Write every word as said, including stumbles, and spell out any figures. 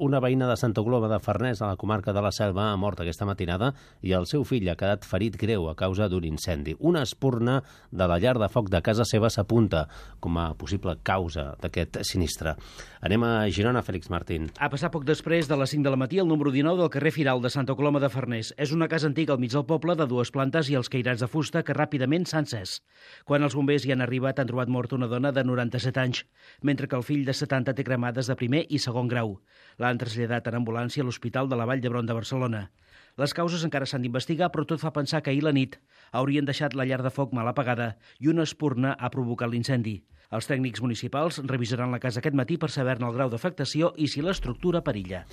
Una veïna de Santa Coloma de Farners, a la comarca de la Selva, ha mort aquesta matinada i el seu fill ha quedat ferit greu a causa d'un incendi. Una espurna de la llar de foc de casa seva s'apunta com a possible causa d'aquest sinistre. Anem a Girona, Fèlix Martín. Ha passat poc després de les cinc de la matí al número dinou del carrer Firal de Santa Coloma de Farners. És una casa antiga al mig del poble de dues plantes i els cairats de fusta que ràpidament s'han encès. Quan els bombers hi han arribat han trobat morta una dona de noranta-set anys, mentre que el fill de setanta té cremades de primer i segon grau. L'han traslladat en ambulància a l'Hospital de la Vall d'Hebron de Barcelona. Les causes encara s'han d'investigar, però tot fa pensar que ahir la nit haurien deixat la llar de foc mal apagada i una espurna ha provocat l'incendi. Els tècnics municipals revisaran la casa aquest matí per saber-ne el grau d'afectació i si l'estructura perilla.